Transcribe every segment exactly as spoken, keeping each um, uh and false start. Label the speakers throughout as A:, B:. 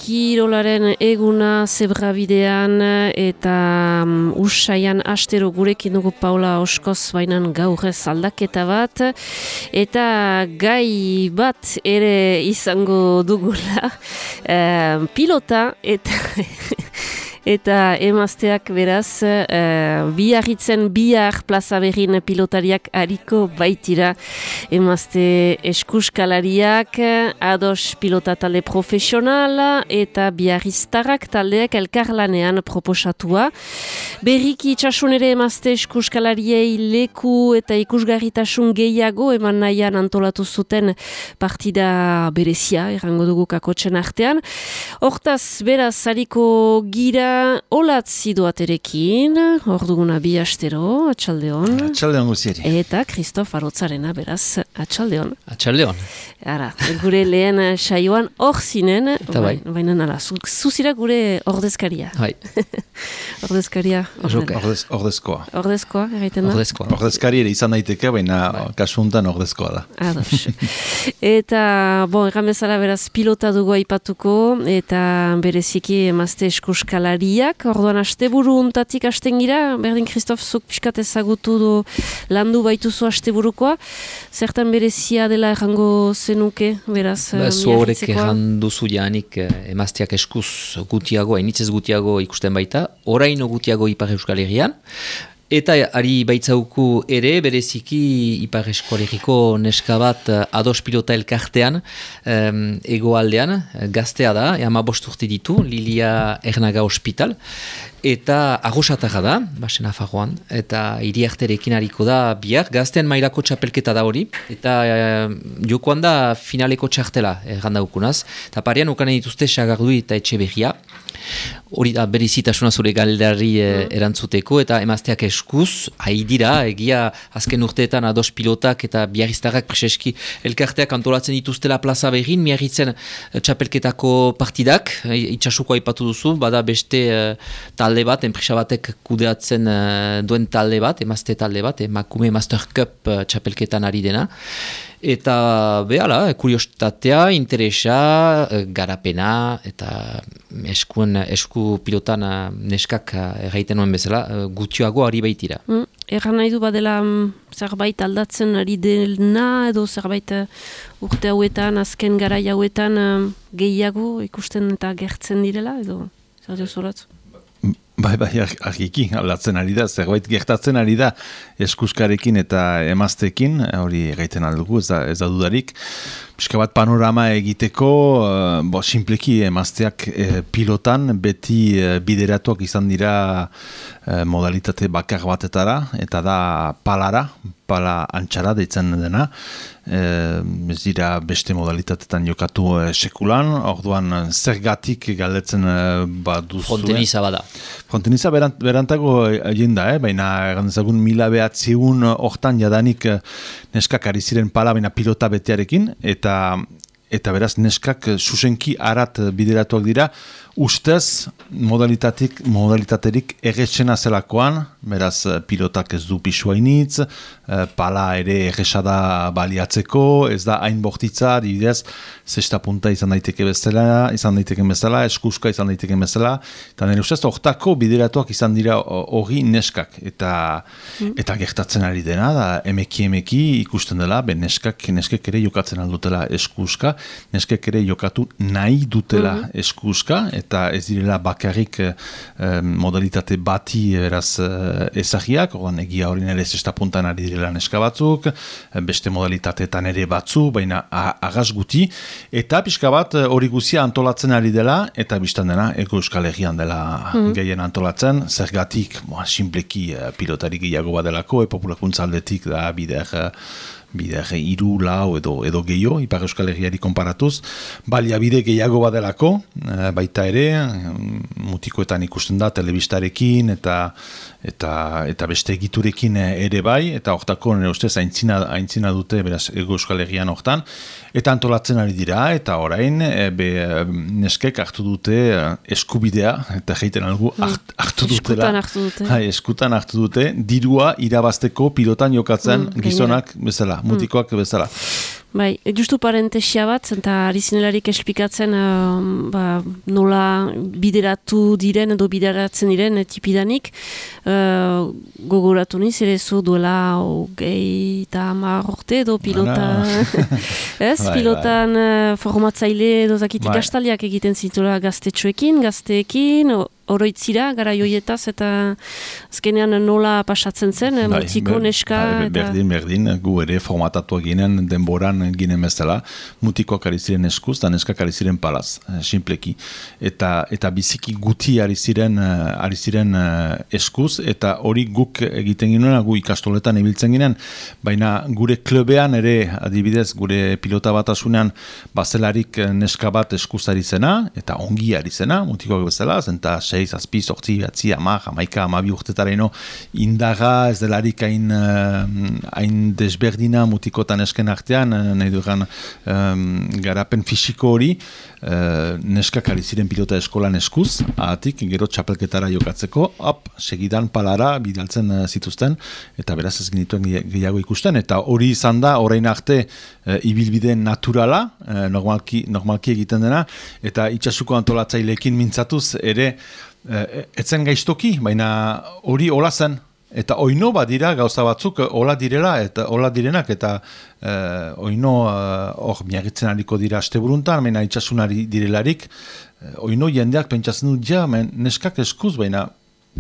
A: kirolaren eguna zebrabidean eta um, usaian astero gurekin dugu Paula Oskoz, bainan gaur ez aldaketa bat eta gai bat ere izango dugula uh, pilota eta eta emazteak beraz uh, biarritzen bihar plaza berrin pilotariak hariko baitira emazte eskuskalariak ados pilota talde profesionala eta biarriztarrak taldeak elkarlanean proposatua. Berriki itxasun ere emazte eskuskalariei leku eta ikusgarritasun gehiago eman nahian antolatu zuten partida berezia, errango dugu kakotxen artean. Hortaz, beraz, hariko gira olatzi doaterekin, hor duguna bi astero, atxaldeon.
B: Atxaldeon guzieri.
A: Eta Kristof Arotzarena, beraz, atxaldeon.
C: Atxaldeon.
A: Ara, gure lehen saioan hor zinen,
C: bai.
A: baina nala, zuzira gure ordezkaria.
C: Bai.
A: ordezkaria.
B: Ordez, ordezkoa.
A: Ordezkoa, egiten da?
C: Ordezkoa.
B: Ordezkari ere izan daiteke, baina bai. Kasu honetan ordezkoa da.
A: Ados. Eta, bon, egan bezala beraz pilota dugu aipatuko, eta bereziki emazte eskuskalari orduan asteburu untatik hasten gira, berdin Kristof zuk pixkat ezagutu du landu baituzu asteburukoa, zertan berezia dela errango zenuke, beraz,
C: ba, zu horrek errandu zu janik emazteak eskuz gutiago, hainitzez gutiago ikusten baita, oraino gutiago Ipar Euskal Herrian, eta ari baitzauku ere, bereziki Ipar Euskal Herriko neska bat ados pilota elkartean, um, egoaldean, gaztea da, ama bost urte ditu, Lilia Ernaga Hospital, eta agosatara da, basen afarroan, eta iriarterekin hariko da bihar, gaztean mailako txapelketa da hori, eta uh, jokoan da finaleko txartela errandaukunaz, eta parean ukanen dituzte Sagardui eta Etxeberria, hori da berizitasuna zure galderari eh, erantzuteko, eta emazteak eskuz, haidira, egia azken urteetan ados pilotak eta biarriztarrak preseski elkarteak antolatzen dituztela plaza berrin, miarritzen eh, txapelketako partidak, eh, itxasuko aipatu duzu, bada beste eh, talde bat, enpresa batek kudeatzen eh, duen talde bat, emazte talde bat, emakume Master Cup eh, txapelketan ari dena, eta behala, kuriositatea, interesa, garapena, eta eskuen, esku pilotan neskak erraiten nuen bezala, gutioago ari baitira.
A: Mm, Erran nahi du badela um, zerbait aldatzen ari dena, edo zerbait uh, urte hauetan, azken garai hauetan um, gehiago ikusten eta gertzen direla, edo zer dio zoratzu?
B: Bai, bai, argiki, aldatzen ari da, zerbait gertatzen ari da eskuskarekin eta emaztekin, hori gaiten aldugu, ez da, ez da dudarik. Piska bat panorama egiteko, uh, bo, simpleki emazteak eh, pilotan beti eh, bideratuak izan dira eh, modalitate bakar batetara, eta da palara, pala antxara deitzen dena, eh, ez dira beste modalitatetan jokatu eh, sekulan, orduan zergatik galdetzen eh, baduzu.
C: Fronteniza bada.
B: Fronteniza berant, berantago egin da, eh? Baina egun mila behatziun hortan jadanik neskak ari ziren pala, baina pilota betearekin, eta eta beraz neskak zuzenki arat bideratuak dira, ustez modalitatik, modalitaterik erretsena zelakoan, beraz pilotak ez du pisuainitz, pala ere erresada baliatzeko, ez da hain bortitza, dibidez, zesta punta izan daiteke bezala, izan daiteken bezala, eskuska izan daiteken bezala, eta nire ustez, hortako bideratuak izan dira hori neskak, eta, mm. eta gertatzen ari dena, da emeki emeki ikusten dela, ben neskak, neskek ere jokatzen aldutela eskuska, neskek ere jokatu nahi dutela mm-hmm. eskuska, eta ez direla bakarrik eh, modalitate bati beraz eh, ezagiak, ordan egia hori nire zesta puntan ari direla neska batzuk, beste modalitateetan ere batzu, baina agaz guti, eta pixka bat hori guzia antolatzen ari dela, eta biztan dena, Ego Euskal Herrian dela mm-hmm. gehien antolatzen, zergatik, moa, simpleki pilotarik gehiago badelako, populakuntza aldetik da bider, bider iru, lau edo, edo gehiago, Ipar Euskal Herriari konparatuz, baliabide gehiago badelako, baita ere, mutikoetan ikusten da, telebistarekin, eta eta eta beste egiturekin ere bai, eta hortako nire ustez aintzina, aintzina dute beraz Ego Euskal Herrian hortan, eta antolatzen ari dira, eta orain e, be, neskek hartu dute eskubidea, eta jeiten algu hart, hartu dutela.
A: Eskutan hartu dute.
B: Hai, eskutan hartu dute, dirua irabazteko pilotan jokatzen mm, gizonak bezala, mutikoak mm. bezala.
A: Bai, justu parentesia bat, eta ari zinelarik esplikatzen uh, ba, nola bideratu diren edo bideratzen diren tipidanik, uh, gogoratu niz, ere zu duela hogei eta hamar urte edo pilota, ez? Bai, pilotan bai. Uh, formatzaile edo zakitik bai. Astaliak egiten zitula gaztetxoekin, gazteekin, oroitzira, gara joietaz, eta azkenean nola pasatzen zen, bai, mutiko, ber, neska... Bai,
B: berdin, eta... berdin, gu ere formatatua ginen, denboran ginen bezala, mutikoak ari ziren eskuz, eta neskak ari ziren palaz, sinpleki. Eta, eta biziki guti ari ziren, ari ziren eskuz, eta hori guk egiten ginen, gu ikastoletan ibiltzen ginen, baina gure klubean ere, adibidez, gure pilota batasunean, bazelarik neska bat eskuz ari zena, eta ongi ari zena, mutikoak bezala, zenta sei, zazpi, zortzi, batzi, hamar, hamaika, hamabi urtetaraino indaga, ez delarik hain, hain desberdina mutikotan esken artean, nahi dugan um, garapen fisiko hori, uh, neskak ari ziren pilota eskolan eskuz, ahatik, gero txapelketara jokatzeko, hop, segidan palara bidaltzen uh, zituzten, eta beraz ez genituen gehiago ikusten, eta hori izan da, orain arte, uh, ibilbide naturala, uh, normalki, normalki egiten dena, eta itsasuko antolatzaileekin mintzatuz, ere, etzen gaiztoki, baina hori hola zen, eta oino badira gauza batzuk hola direla, eta hola direnak, eta eh, oino hor uh, miagitzen hariko dira asteburuntan, baina itxasunari direlarik, eh, oino jendeak pentsatzen dut, ja, men, neskak eskuz, baina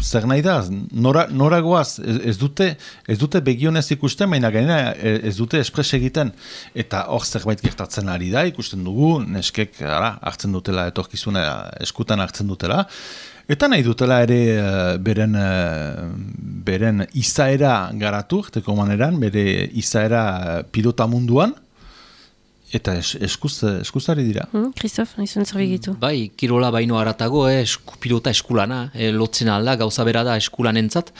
B: zer nahi da, nora, nora goaz, ez, ez dute, ez dute begionez ikusten, baina gainera ez dute espres egiten, eta hor zerbait gertatzen ari da, ikusten dugu, neskek ara, hartzen dutela, etorkizuna eskutan hartzen dutela, eta nahi dutela ere uh, beren, uh, beren izaera garatu, teko maneran, bere izaera pilota munduan, eta es, eskuz, eskuzari dira.
A: Kristof, hmm, nahi zuen gitu.
C: Bai, kirola baino haratago, eh, esku, pilota eskulana, eh, lotzen alda, gauza bera da eskulanentzat,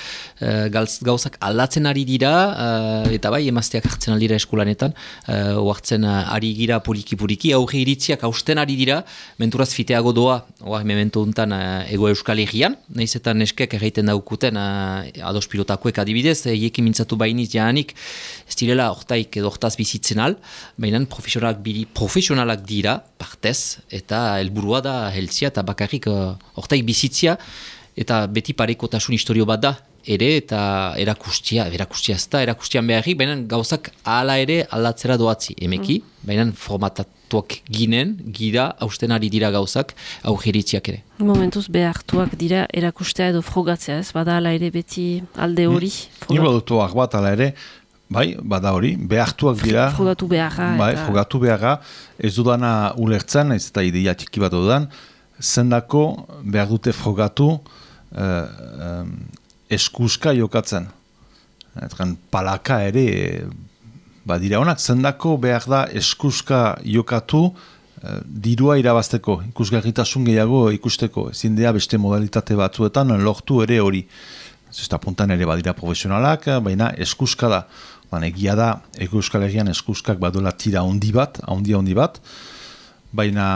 C: eh, gauzak aldatzen ari dira, eh, eta bai, emazteak hartzen aldira eskulanetan, eh, oartzen uh, ari gira puriki-puriki, auge iritziak hausten ari dira, menturaz fiteago doa, oa, memento untan uh, ego Euskal Herrian, nahiz eta neskek erraiten daukuten uh, ados pilotakoek adibidez, eiekin mintzatu bainiz jaanik, ez direla hortaik edo hortaz bizitzen al, baina profesional Biri, profesionalak dira, partez, eta helburua da heltzia, eta bakarrik hortaik uh, bizitzia, eta beti parekotasun historio bat da, ere, eta erakustia, erakustia ez da, erakustian beharrik, baina gauzak ala ere aldatzera doatzi, emeki, mm. baina formatatuak ginen, gira, hausten ari dira gauzak, augeritziak ere.
A: Momentuz behartuak dira erakustea edo frogatzea, ez bada ala ere beti alde hori.
B: Mm. Nire dutuak bat ala ere, bai, bada hori, behartuak dira.
A: Frogatu beharra.
B: Bai, eta... frogatu beharra. Ez dudana ulertzen, ez eta ideia txiki bat dudan, zendako behar dute frogatu eh, eh, eskuska jokatzen. Etran, palaka ere, badira honak, zendako behar da eskuska jokatu eh, dirua irabazteko, ikusgarritasun gehiago ikusteko. Ezin dea beste modalitate batzuetan lortu ere hori. Zesta puntan ere badira profesionalak, baina eskuska da. Egia da, Ego Euskal Herrian eskuskak badola tira handi bat, handi handi bat, baina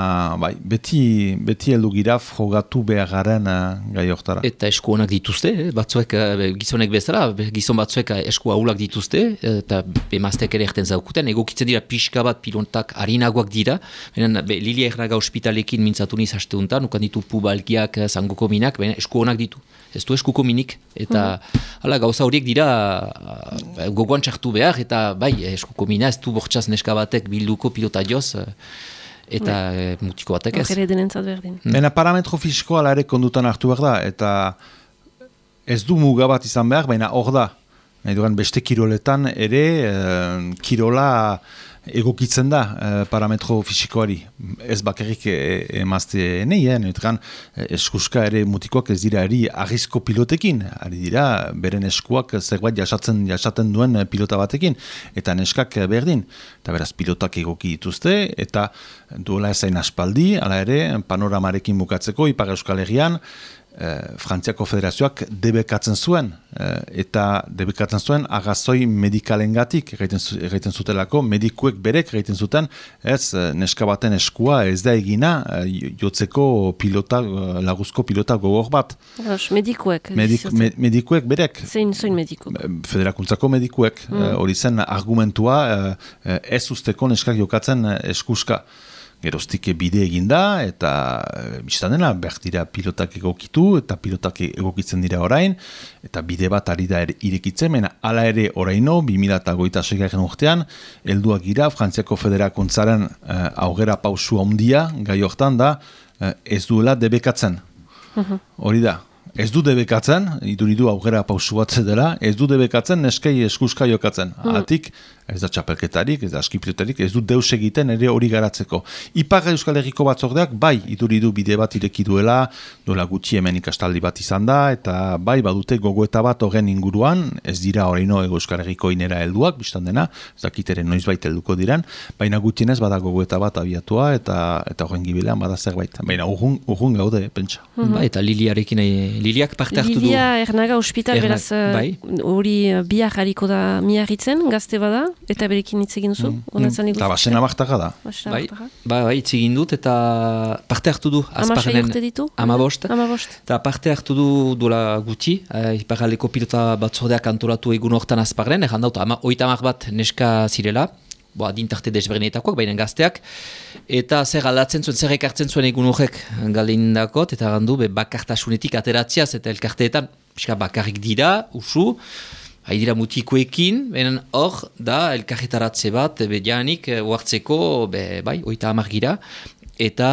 B: bai, beti, beti heldu gira frogatu beharren uh, gai hortara.
C: Eta esku honak dituzte, eh? batzuek, gizonek bezala, gizon batzuek esku ahulak dituzte, eta emazteak ere erten zaukuten, egokitzen dira pixka bat pilontak harinagoak dira, baina Lilia Erraga ospitalekin mintzatu niz hasteuntan, ukan ditu pubalgiak, zangoko minak, baina esku honak ditu. Ez du eskuko minik, eta mm. ala, gauza horiek dira uh, gogoan txartu behar, eta bai, eskuko mina ez du bortxaz neska batek bilduko pilota joz, uh, eta uh, mutiko batek ez.
A: Ogere denentzat berdin.
B: Baina parametro fisiko ala ere kondutan hartu behar da, eta ez du muga bat izan behar, baina hor da. Nahi dugan beste kiroletan ere, uh, kirola egokitzen da eh, parametro fisikoari. Ez bakarrik emazte e, neien, etran eskuska ere mutikoak ez dira eri arrizko pilotekin, ari dira beren eskuak zerbait jasatzen, jasaten duen pilota batekin, eta neskak berdin. Eta beraz pilotak egoki dituzte, eta duela ezain aspaldi, ala ere panoramarekin bukatzeko, Ipar Euskal Herrian, Frantziako Federazioak debekatzen zuen, eta debekatzen zuen agazoi medikalengatik egiten zutelako, medikuek berek egiten zuten, ez neska baten eskua ez da egina jotzeko pilota, laguzko pilota gogor bat.
A: Medikuek.
B: Medik, me, medikuek berek.
A: Zein, zein mediku.
B: Federakuntzako medikuek. Hori mm. zen argumentua ez usteko neskak jokatzen eskuska. Geroztik bide eginda, eta biztan dena, behar dira pilotak egokitu, eta pilotak egokitzen dira orain, eta bide bat ari da irekitzen, mena ala ere oraino, bi mila hogeita seigarren urtean, helduak gira, Frantziako Federakuntzaren uh, aurrera pausu handia, gai hortan da, uh, ez duela debekatzen. Hori da. Ez du debekatzen, iduridu aurrera pausu bat dela, ez du debekatzen neskei eskuska jokatzen. Atik, ez da txapelketarik, ez da askipilotarik, ez du deus egiten ere hori garatzeko. Ipar Euskal Herriko batzordeak, bai, iduridu bide bat ireki duela, dola gutxi hemen ikastaldi bat izan da, eta bai, badute gogoeta bat horren inguruan, ez dira horreino Euskal Herriko inera helduak, biztan dena, ez dakiteren noiz bait helduko diren, baina gutxienez bada gogoeta bat abiatua, eta eta horren gibilean bada zerbait. Baina urrun, urrun gaude, pentsa.
C: Mm-hmm. Ba, eta Liliarekin, Liliak parte hartu du.
A: Lilia Ernaga ospital, Erna, beraz, hori bai. Bihar hariko da miarritzen, gazte bada, eta berekin hitz egin duzu?
B: Mm. Eta basen amartaka da.
C: Bai, bai, bai, hitz egin dut, eta parte hartu du.
A: Amasai urte ditu?
C: Amabost.
A: Amabost.
C: Eta parte hartu du duela guti, eh, iparraldeko pilota batzordeak antolatu egun hortan azparren, erran daut, ama, oita amar bat neska zirela, boa, dintarte desberdinetakoak, baina gazteak, eta zer aldatzen zuen, zer ekartzen zuen egun horrek galindakot, eta gandu, be, bakartasunetik ateratziaz, eta elkarteetan, pixka bakarrik dira, usu, hai dira mutikoekin, benen hor da elkarretaratze bat, be, janik, uartzeko, be, bai, oita amar gira, eta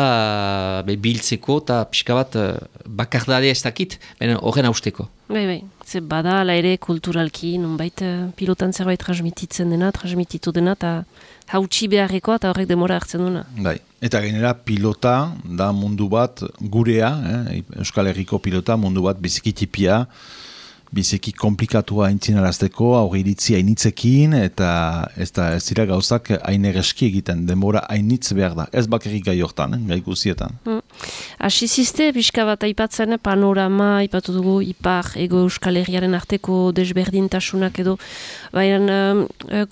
C: be, biltzeko, eta pixka bat bakardade ez dakit, benen horren hausteko.
A: Bai, bai, ze bada, ala ere kulturalki, nonbait pilotan zerbait transmititzen dena, transmititu dena, eta hautsi beharrekoa, eta horrek demora hartzen duna.
B: Bai, eta gainera pilota da mundu bat gurea, eh? Euskal Herriko pilota mundu bat bizikitipia, biziki komplikatua aintzinarazteko, aurreiritzi hainitzekin, eta ez da ez dira gauzak hain egeski egiten, denbora hainitz behar da. Ez bakarrik gai hortan, eh? Gai guzietan.
A: Mm. Asiziste, pixka bat aipatzen, panorama, aipatu dugu, ipar, ego Euskal Herriaren arteko desberdintasunak edo, baina um,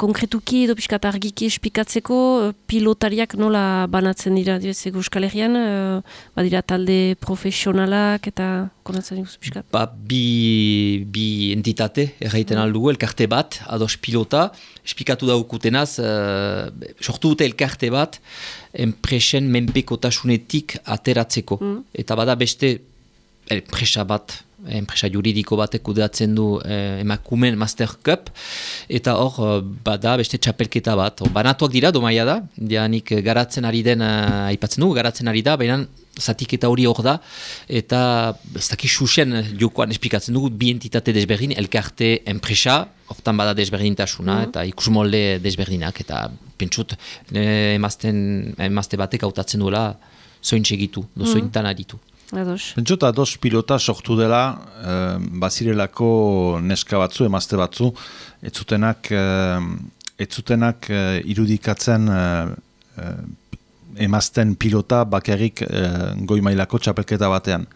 A: konkretuki edo pixka argiki espikatzeko, pilotariak nola banatzen dira, dira ego Euskal Herrian, uh, badira talde profesionalak eta konatzen dira pixka?
C: Ba, bi... bi entitate, erraiten mm. aldugu, elkarte bat, ados pilota, esplikatu daukutenaz, uh, sortu dute elkarte bat, enpresen menpekotasunetik ateratzeko. Mm. Eta bada beste enpresa bat, enpresa juridiko batek kudeatzen du eh, emakumen Master Cup, eta hor bada beste txapelketa bat. Or, banatuak dira, domaia da, dianik garatzen ari den, uh, aipatzen dugu, garatzen ari da, baina zatiketa hori hor da, eta ez daki susen jokoan esplikatzen dugu, bi entitate desberdin, elkarte enpresa, hortan bada desberdintasuna, mm. eta ikusmolde desberdinak, eta pentsut eh, emazten, emazte batek hautatzen duela zoin segitu, do zointan aritu.
A: Ados.
B: Pentsota ados pilota sortu dela, eh, bazirelako neska batzu, emazte batzu, ez zutenak, eh, ez zutenak eh, irudikatzen eh, eh, emazten pilota bakarrik eh, goi mailako txapelketa batean.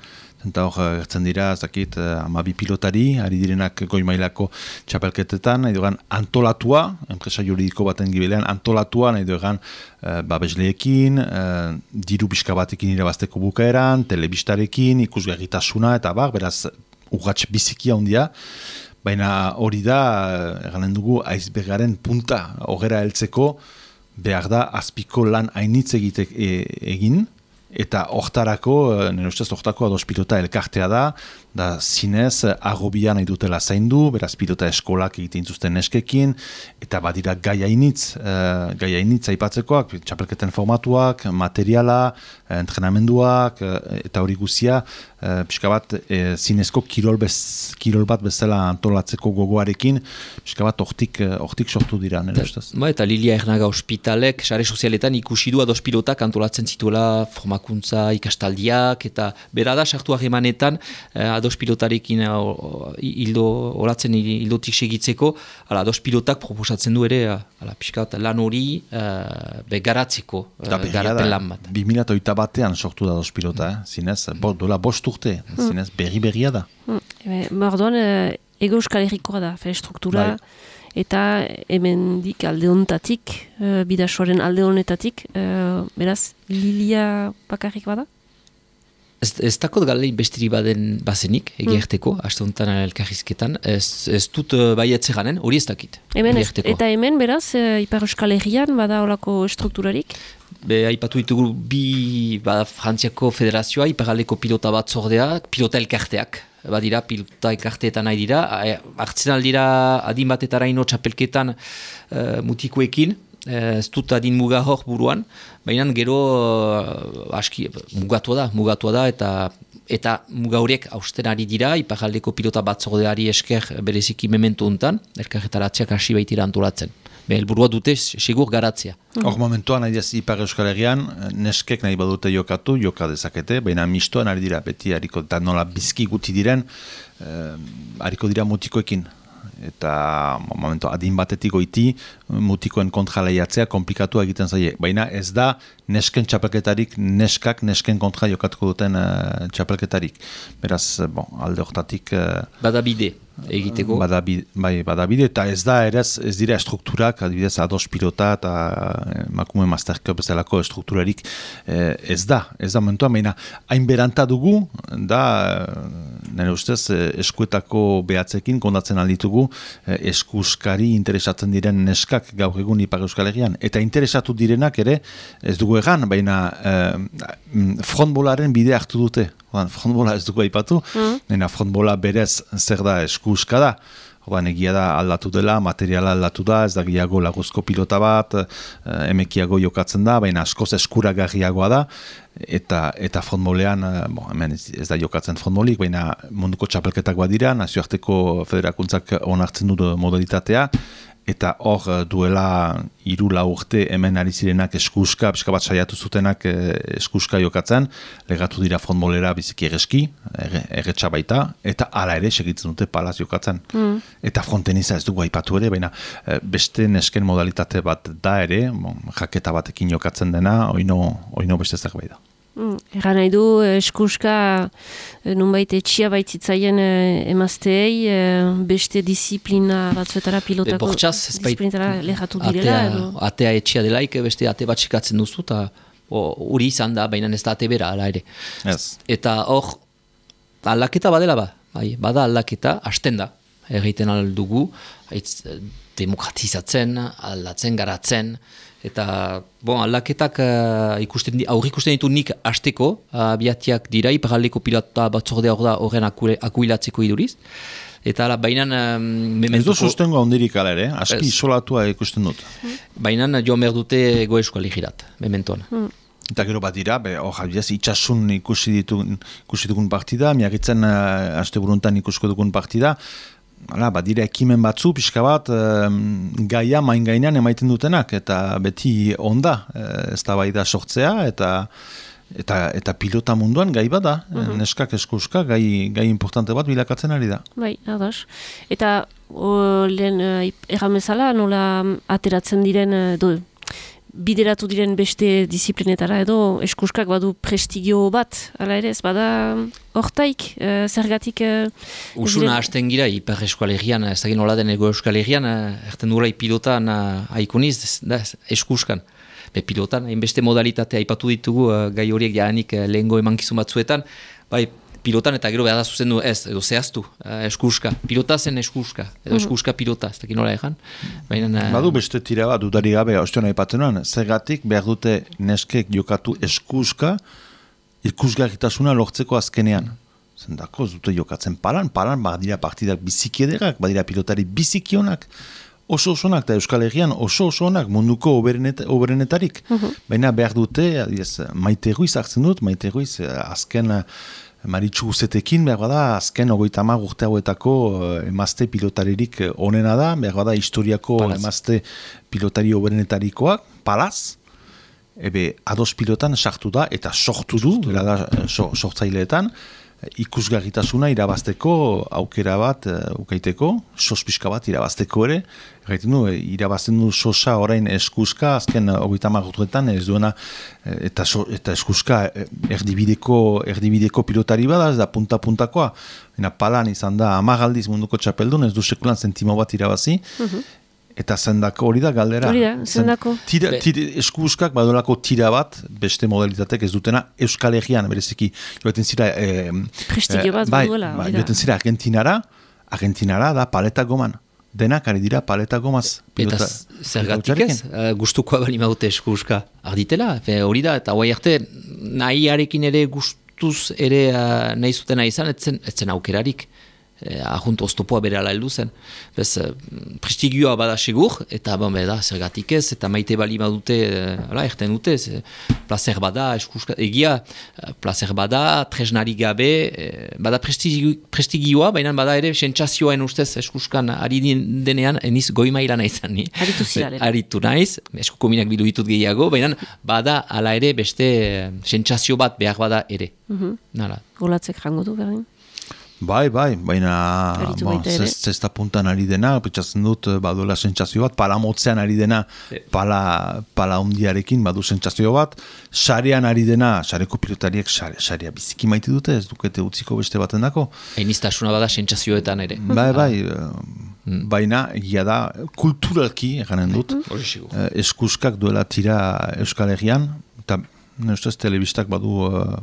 B: Eta hor, gertzen dira, ez dakit, amabi pilotari, ari direnak goi mailako txapelketetan, nahi dugan antolatua, enpresa juridiko baten gibilean, antolatua, nahi dugan eh, babesleekin, eh, diru pixka batekin irabazteko bukaeran, telebistarekin, ikusgarritasuna, eta bar, beraz, urratx bizikia handia, baina hori da, eganen dugu, aizbergaren punta, horrela heltzeko, behar da, azpiko lan hainitz egitek e, egin, eta hortarako, nire ustez hortako ados pilota elkartea da, da zinez arrobia nahi dutela zaindu, beraz pilota eskolak egiten zuzten neskekin, eta badira gai hainitz, uh, gai hainitz aipatzekoak, txapelketen formatuak, materiala, entrenamenduak, eta hori guzia, uh, pixka bat uh, zinezko kirol, bez, kirol bat bezala antolatzeko gogoarekin, pixka bat hortik, hortik sortu dira, nire ustez.
C: Ba, eta Lilia Ernaga ospitalek, sare sozialetan ikusi du ados pilotak antolatzen zituela formak formakuntza ikastaldiak, eta bera da sartu harremanetan uh, ados pilotarekin uh, hildo, olatzen hildotik segitzeko, ala, ados pilotak proposatzen du ere, ala, pixkat lan hori uh, be garatzeko, uh, garapen lan bat.
B: bi mila hogeita batean sortu da ados pilota, eh? Zinez, bo, dola bost urte, mm. zinez, berri-berria da.
A: Mm. Orduan, e, ego euskal herrikoa da, fe, struktura, bai. Eta hemendik alde honetatik, uh, bidasoaren alde honetatik, uh, beraz, Lilia bakarrik bada?
C: Ez, ez dakot galein bestiri baden bazenik, egerteko, mm. aste honetan elkarrizketan, ez, ez dut uh, baietze ganen, hori ez dakit.
A: Hemen ez, eta hemen, beraz, uh, Ipar Euskal Herrian bada olako strukturarik?
C: Be, aipatu ditugu bi ba, Frantziako Federazioa, Iparraldeko pilota bat zordea, pilota elkarteak. Badira, pilota elkarteetan nahi dira, hartzen aldira adin batetara ino txapelketan uh, mutikoekin, uh, ez dut adin muga hor buruan, baina gero uh, aski mugatua da, mugatua da, eta eta muga horiek hausten ari dira, Iparraldeko pilota batzordeari esker bereziki mementu hontan, elkarretaratzeak hasi baitira antolatzen. Helburua dute segur garatzea.
B: Hor mm. momentuan, nahi diaz, Ipar Euskal Herrian, neskek nahi badute jokatu, joka dezakete, baina mistoan ari dira, beti hariko, eta nola bizki guti diren, eh, hariko dira mutikoekin. Eta momentu adin batetik goiti, mutikoen kontra lehiatzea komplikatu egiten zaie. Baina ez da nesken txapelketarik, neskak nesken kontra jokatuko duten uh, txapelketarik. Beraz, bon, alde hortatik... Uh,
C: Badabide egiteko.
B: Badabide, bai, badabide, eta ez da ere ez dira strukturak, adibidez ados pilota eta emakume Master Cup bezalako strukturarik eh, ez da, ez da momentuan, baina hain beranta dugu, da nire ustez eskuetako behatzekin kondatzen alditugu eh, eskuskari interesatzen diren neskak gaur egun Ipar Euskal Herrian, eta interesatu direnak ere ez dugu egan, baina eh, frontbolaren bide hartu dute. Frontbola ez dugu aipatu, mm. frontbola berez zer da eskuska da. Oban, egia da aldatu dela, materiala aldatu da, ez da gehiago laguzko pilota bat, emekiago jokatzen da, baina askoz eskuragarriagoa da, eta eta frontbolean, bon, hemen ez, ez da jokatzen frontbolik, baina munduko txapelketak badira, nazioarteko federakuntzak onartzen du modalitatea, eta hor duela hiru lau urte hemen ari zirenak eskuska, pixka bat saiatu zutenak eskuska jokatzen, legatu dira frontbolera biziki egeski, erretxa baita, eta hala ere segitzen dute palaz jokatzen. Mm. Eta fronteniza ez dugu aipatu ere, baina beste nesken modalitate bat da ere, bon, jaketa batekin jokatzen dena, oino, oino beste zerbait da.
A: Mm, Egan nahi du, eskuska nunbait etxia baitzitzaien emazteei, beste disiplina batzuetara pilotako disiplinetara lehatu direla?
C: Atea, atea etxia delaik, beste ate bat sikatzen duzu, eta hori izan da, baina ez da ate bera, ala ere.
B: Yes.
C: Eta hor, aldaketa badela ba, bai, bada aldaketa, hasten da, egiten aldugu, haitz, demokratizatzen, aldatzen, garatzen, eta bon, aldaketak uh, ikusten, aurri ikusten ditu nik hasteko, uh, biatiak dira, Iparraldeko pilota batzordea hor da horren akuilatzeko iduriz. Eta ala, bainan... Um, mementuko... Ez du sustengo handirik ala ere,
B: aski isolatua ikusten dut.
C: Bainan joan behar dute Ego Euskal Herrirat, mementoan.
A: Mm.
B: Eta gero bat dira, hor jabiaz, itxasun ikusi, ditu, ikusi dugun partida, miagitzen uh, aste buruntan ikusko dugun partida, hala, badira ekimen batzu, pixka bat, um, gaia main gainean emaiten dutenak, eta beti onda, ez da bai da sortzea, eta, eta, eta pilota munduan gai bada, mm-hmm. neskak eskuska, gai, gai importante bat bilakatzen ari da.
A: Bai, ados. Eta o, lehen uh, erramezala, nola ateratzen diren, do, bideratu diren beste disiplinetara edo eskuskak badu prestigio bat, ala ere ez bada hortaik, uh, zergatik... Uh,
C: Usuna hasten gira, Ipar Euskal Herrian, ez da nola den Ego Euskal Herrian, erten duela pilotan uh, aikoniz, da, eskuskan. Be pilotan, hainbeste modalitate aipatu ditugu, uh, gai horiek jaanik uh, lehengo emankizun batzuetan, bai, pilotan eta gero behar da zuzendu ez, edo zehaztu, uh, eskuska. Pilota zen eskuska, edo eskuska pilota, ez dakit nola egan. Uh,
B: Badu beste tira bat, dudari gabe, ostion aipatzen zergatik behar dute neskek jokatu eskuska, ikusgarritasuna lortzeko azkenean. Zendako, dute jokatzen palan, palan, badira partidak bizikiederak, badira pilotari bizikionak, oso osonak, eta Euskal Herrian oso osonak munduko oberenet, oberenetarik. Uh-huh. Baina behar dute, adiez, Maite Ruiz hartzen dut, Maite Ruiz azken... Maritxu guzetekin, behar bada, azken ogoita hamar urte hauetako emazte pilotaririk onena da, behar bada, historiako Palaz. Emazte pilotari oberenetarikoak, Palaz, ebe ados pilotan sartu da, eta sortu du, bera da so, sortzaileetan, ikusgarritasuna irabazteko aukera bat uh, ukaiteko, sospiska bat irabazteko ere, gaiten du, irabazten du sosa orain eskuska, azken hogeita marrutuetan ez duena, eta, so, eta eskuska erdibideko, erdibideko pilotari bada, ez da punta-puntakoa, ena palan izan da amagaldiz munduko txapeldun, ez du sekulan zentimo bat irabazi, uh-huh. Eta zendako hori da galdera.
A: Hori da, zendako.
B: Tira, tira, eskuskak badolako tira bat, beste modalitatek ez dutena, Euskal Herrian, bereziki, joaten zira... Eh,
A: Prestigio bat,
B: eh, bai,
A: baduela.
B: Bai, joaten zira Argentinara, Argentinara da paleta goman. Denak ari dira paleta gomaz.
C: Eta zergatik ez, uh, gustukoa bali maute eskuska. Arditela, hori da, eta guai arte, nahiarekin ere gustuz ere uh, nahi zutena izan, etzen, etzen aukerarik. Eh, ahunt oztopoa bere ala heldu zen. Bez, eh, prestigioa bada segur, eta bon, beda, zergatik ez, eta maite bali badute, eh, ala, erten dute, ze, placer bada, eskuska, egia, placer bada, tresnari gabe, eh, bada prestigio, prestigioa, baina bada ere, sentsazioen ustez eskuskan ari denean, eniz goi maila naizan, ni.
A: Aritu zirale.
C: Aritu naiz, eskuko minak bidu ditut gehiago, baina bada, ala ere, beste sentsazio bat behar bada ere.
A: Mhm.
C: Nala.
A: Golatzek jango du, berdin?
B: Bai, bai, baina bon, zesta puntan ari dena, pentsatzen dut baduela sentsazio bat, pala motzean ari dena, pala, pala undiarekin badu sentsazio bat, sarean ari dena, sareko pilotariek sarea biziki maite dute, ez dukete utziko beste baten dako.
C: Einiztasuna bada sentsazioetan ere.
B: Bai, bai, mm. baina egia da, kulturalki, eganen dut, mm. eskuskak duela tira Euskal Herrian, eta ne ustez telebistak badu uh,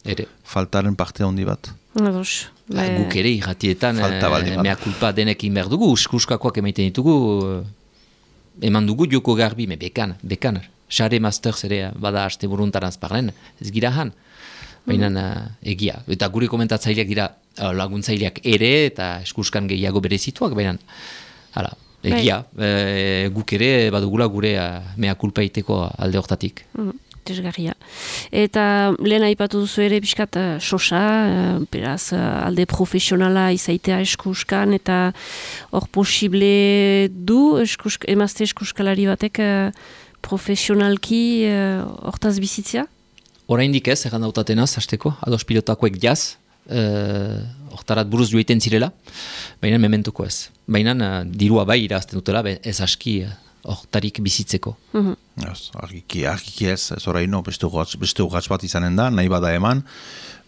C: ere.
B: Faltaren parte handi bat.
A: Ados.
C: Ba, guk ere irratietan e, mea kulpa denekin behar dugu, eskuskakoak emaiten ditugu, eman dugu joko garbi, me bekan, bekan. Xare Masters ere bada haste buruntaranz parlen, ez gira han. Baina mm. egia. Eta gure komentatzaileak dira laguntzaileak ere, eta eskuskan gehiago berezituak, baina hala, egia. E, guk ere badugula gure mea kulpa iteko alde hortatik.
A: Mm. Desgarria. Eta lehen aipatu duzu ere pixkat uh, sosa, uh, beraz uh, alde profesionala izaitea eskuskan, eta hor posible du eskusk, emazte eskuskalari batek uh, profesionalki hortaz uh, bizitzia?
C: Oraindik ez, egan dautatenaz, hasteko, ados pilotakoek jaz, hortarat uh, buruz joiten zirela, baina mementuko ez. Baina uh, dirua bai irazten dutela, ez aski hortarik bizitzeko.
A: Mm-hmm.
B: Yes, argiki, argiki ez, ez oraino beste urratz bat izanen da, nahi bada eman,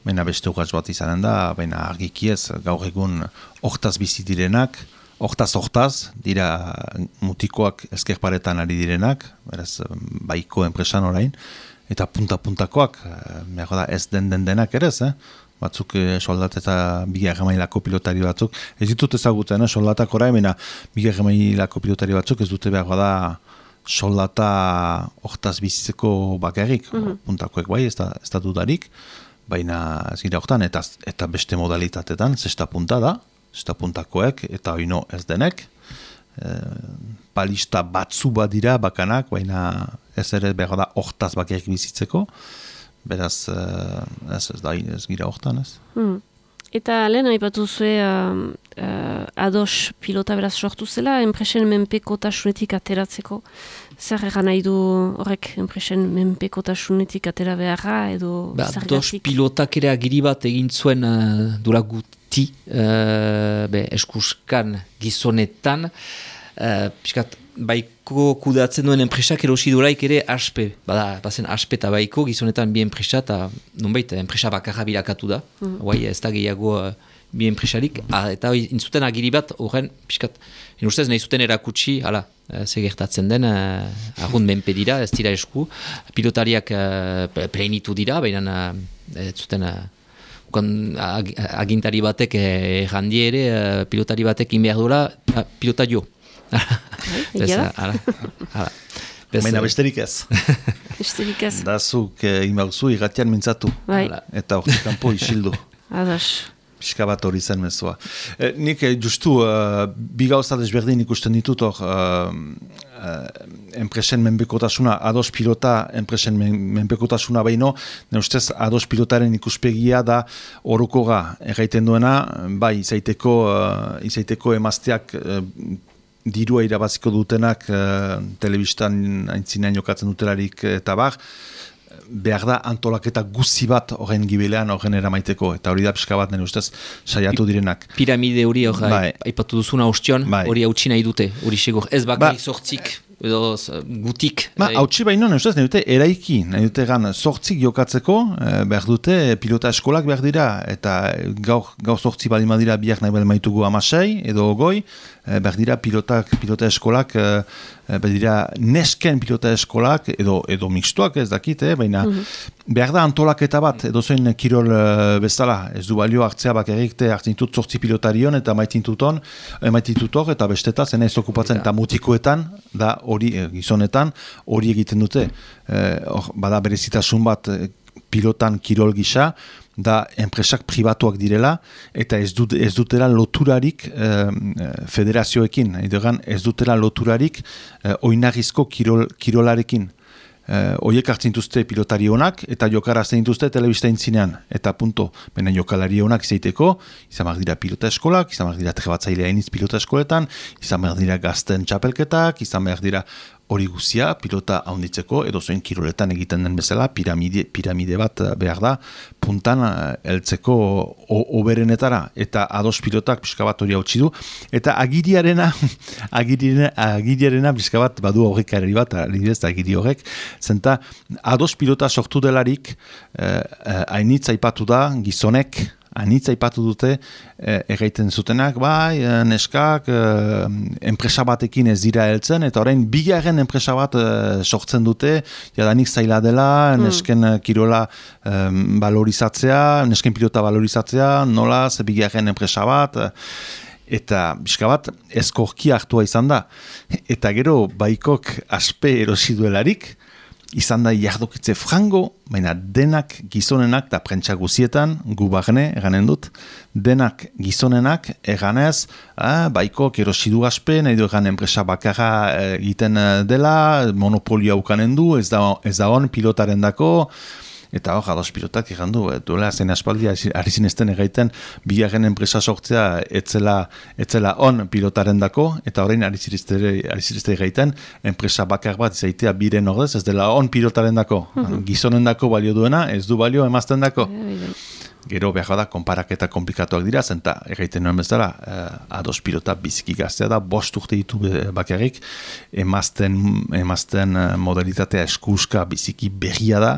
B: baina beste urratz bat izanen da, baina argiki ez, gaur egun hortaz bizi direnak, hortaz hortaz, dira mutikoak ezkerparetan ari direnak, beraz, baiko enpresan orain, eta punta-puntakoak, behar da ez den den denak ere ez, eh? Batzuk eh, soldat eta bigarren mailako pilotari batzuk, ez ditut ezagutzen, eh? Soldatak orain, baina bigarren mailako pilotari batzuk ez dute behar da soldata hortaz bizitzeko bakarrik, mm-hmm. puntakoek bai, ez da, ez da dudarik, baina ez gira hortan, eta, eta beste modalitatetan, zesta punta da, zesta puntakoek, eta oino ez denek, e, palista batzu bat dira bakanak, baina ez ere behar da hortaz bakarrik bizitzeko, beraz, ez, ez da, ez gira hortan, ez.
A: Hmm. Eta lehen aipatu zue uh, uh, ados pilota beraz sortu zela, enpresen menpekotasunetik ateratzeko. Zer egan nahi du horrek enpresen menpekotasunetik atera beharra edo
C: ba,
A: zergatik?
C: Ados pilotak ere agiri bat egin zuen uh, dura guti uh, be, eskuskan gizonetan, uh, piskat, baiko kudatzen duen enpresak erosi duraik ere aspe, bada, bazen aspe eta baiko gizonetan bi enpresa eta nonbait enpresa bakarra bilakatu da, mm. Guai ez da gehiago uh, bi enpresarik, ah, eta intzuten agiri bat horren, piskat, inustez nahi zuten erakutsi, hala, uh, segertatzen den, uh, arrund menpe dira, ez dira esku, pilotariak uh, pleinitu dira, baina uh, ez zuten... Uh, ag, agintari batek errandi ere, uh, pilotari batek inbehar duela, uh, pilota jo.
A: Egia
C: da?
B: Baina besterik ez.
A: Besterik ez.
B: Da zuk imauzu irratian mintzatu.
A: Bai.
B: Eta hortik kanpo isildu.
A: Adas.
B: Pixka bat hori zen mezua. E, nik justu, uh, bi gauza desberdin ikusten ditut hor, uh, uh, enpresen menpekotasuna, ados pilota, enpresen men, menpekotasuna baino, ne ustez ados pilotaren ikuspegia da orokoga erraiten duena, bai, izaiteko, uh, izaiteko emazteak uh, dirua irabaziko dutenak uh, telebistan aintzinean jokatzen dutelarik eta bar, behar da antolaketa guzi bat horren gibilean horren eramaiteko, eta hori da pixka bat nire ustez saiatu direnak.
C: Piramide hori hori
B: bai.
C: aipatu duzuna ostion, hori bai. Hautsi nahi dute, hori segur. Ez bakari sortzik, edo gutik.
B: Ba, hautsi baino, nire ustez, nahi dute eraiki, nahi dute gan sortzik jokatzeko, eh, behar dute pilota eskolak behar dira, eta gaur, gaur sortzi bali madira biak nahi behar maitugu amasei, edo goi, eh, behar dira pilotak, pilota eskolak, eh, behar dira nesken pilota eskolak, edo, edo mixtuak ez dakit, eh, baina mm-hmm. behar da antolaketa bat, edo zen kirol uh, bezala, ez du balio hartzea bakarrikte hartzintut sortzi pilotarion eta maitintut maitintut eta besteta zen ez okupatzen eta mutikoetan, da hori gizonetan, hori egiten dute. Eh, or, bada berezitasun bat pilotan kirol gisa, da enpresak pribatuak direla, eta ez, dut, ez dutela loturarik eh, federazioekin, edogan ez dutela loturarik eh, oinarrizko kirol, kirolarekin. Uh, oiek hartzen dituzte pilotari honak eta jokara hartzen dituzte telebista intzinean eta punto, baina jokalari honak izaiteko izan behar dira pilota eskolak, izan behar dira trebatzailea iniz pilota eskoletan, izan behar dira gazten txapelketak, izan behar dira hori guzia pilota haunditzeko edo zoen kiroletan egiten den bezala piramide, piramide bat behar da puntan heltzeko oberenetara eta ados pilotak pixka bat hori hautsi du eta agiriarena agiriarena, agiriarena pixka bat badu horrekarri bat adibidez agiri horrek zenta ados pilota sortu delarik hainitz eh, aipatu da gizonek anitza ipatu dute eh, erraiten zutenak, bai, neskak eh, enpresa batekin ez dira heltzen, eta orain bigarren enpresa bat eh, sortzen dute, jadanik zaila dela, mm. nesken kirola eh, valorizatzea, nesken pilota valorizatzea, nola, ze bigarren enpresa bat, eta bizka bat ezkorki hartua izan da. Eta gero baikok aspe erosi duelarik, izan da jardokitze frango, baina denak gizonenak, eta prentsa guzietan, gu bagne, eganen dut, denak gizonenak, eganez, ah, baiko kerosidu aspe, nahi du egan enpresa bakarra egiten dela, monopolio ukanen du, ez da, ez da on pilotaren dako, eta hor, ados pilotak egan du, duela zen aspaldi, ari zinezten egaiten, bigarren enpresa sortzea etzela, etzela on pilotaren dako, eta orain ari zirizte egaiten, enpresa bakar bat izaitea biren ordez, ez dela on pilotaren dako. Mm-hmm. Gizonen dako balio duena, ez du balio emazten dako. Gero behar da, konparaketa komplikatuak dira, zenta egaiten nuen bezala, eh, ados pilota biziki gaztea da, bost urte ditu bakarrik, emazten, emazten modalitatea eskuska biziki berria da,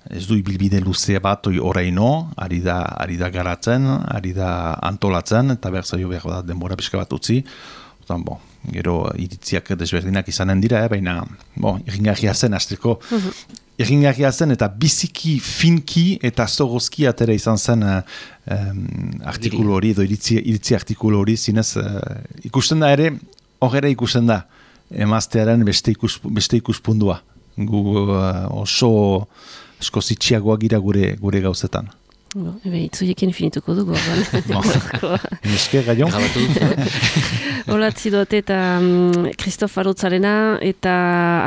B: ez du ibilbide luzea bat oraino, ari da, ari da garatzen, ari da antolatzen, eta behar zaio behar da denbora pixka bat utzi. Otan, bo, gero iritziak desberdinak izanen dira, eh, baina bo, irringarria zen, azteko, uh-huh. irringarria zen, eta biziki finki eta zorozki atera izan zen uh, um, artikulu hori, edo iritzi, iritzi artikulu hori, zinez, uh, ikusten da ere, horre ikusten da, emaztearen beste, ikus, beste ikuspundua. Gu uh, oso esko zitxiagoa gira gure, gure gauzetan.
A: Bo, ebe, itzuiekin finituko dugu.
B: Eske, gaion?
A: Holatzi dut eta Kristof um, Arotzarena eta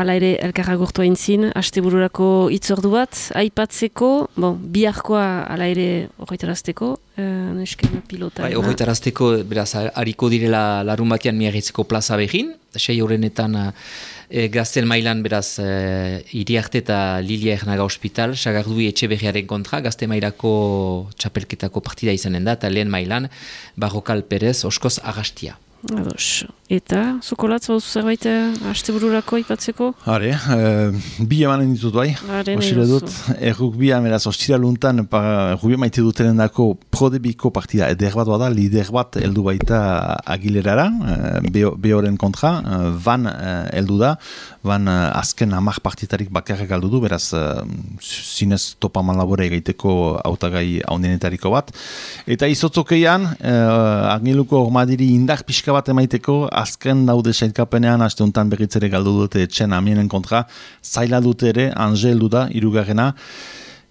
A: ala ere elkarra gurtu haintzin, astebururako itzordu bat, aipatzeko, bon, biharkoa ala ere horretarazteko, uh, nesken pilota.
C: Bai, horretarazteko, beraz, hariko direla larun batean miarritzeko plaza behin, sei horrenetan e, gazten mailan beraz e, Iriarte eta Lilia Ernaga Hospital, Sagardui Etxeberriaren kontra, gazte mailako txapelketako partida izanen da, eta lehen mailan Barrokal Perez, Oskoz Agastia.
A: Ados. Eta, zukolatz, hau zerbait astebururako ipatzeko?
B: Hare, e, bi emanen ditut bai. Osire dut, erruk bi ameraz, ostira luntan, erruk bi maite dutenen dako prodebiko partida eder bat bada, lider bat heldu baita Agilerara, behoren kontra, van heldu da, van azken amak partitarik bakarrak aldu du, beraz, zinez topaman labore egiteko hautagai haundenetariko bat. Eta izotzokeian, Agiluko ormadiri indar pixka bat emaiteko, azken daude sailkapenean, aste honetan berritzere galdu dute etxen amienen kontra, zaila dute ere, Angel du da, irugarrena,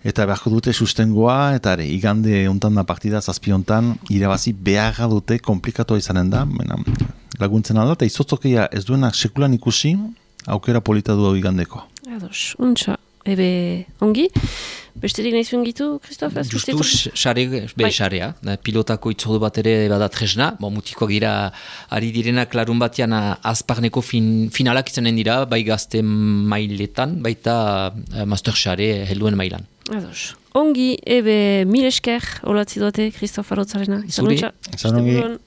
B: eta beharko dute sustengoa, eta ere, igande honetan da partida, zazpi honetan, irabazi beharra dute, komplikatoa izanen da, mena, laguntzen alda, eta izotzokeia ez duenak sekulan ikusi, aukera polita du igandeko.
A: Ados, untxa. ebe ongi. Besterik nahi zuen gitu, Kristof?
C: Justu, xare, be, xarea. Pilotako itzordu bat ere bada tresna. Bo, mutiko gira, ari direnak larun batean azparneko fin, finalak izanen dira, bai gazte mailetan, baita uh, master xare helduen mailan.
A: Ados. Ongi, ebe mil esker, olatzi duate, Kristof Arotzarena.
C: Zuri.
B: Izan ongi.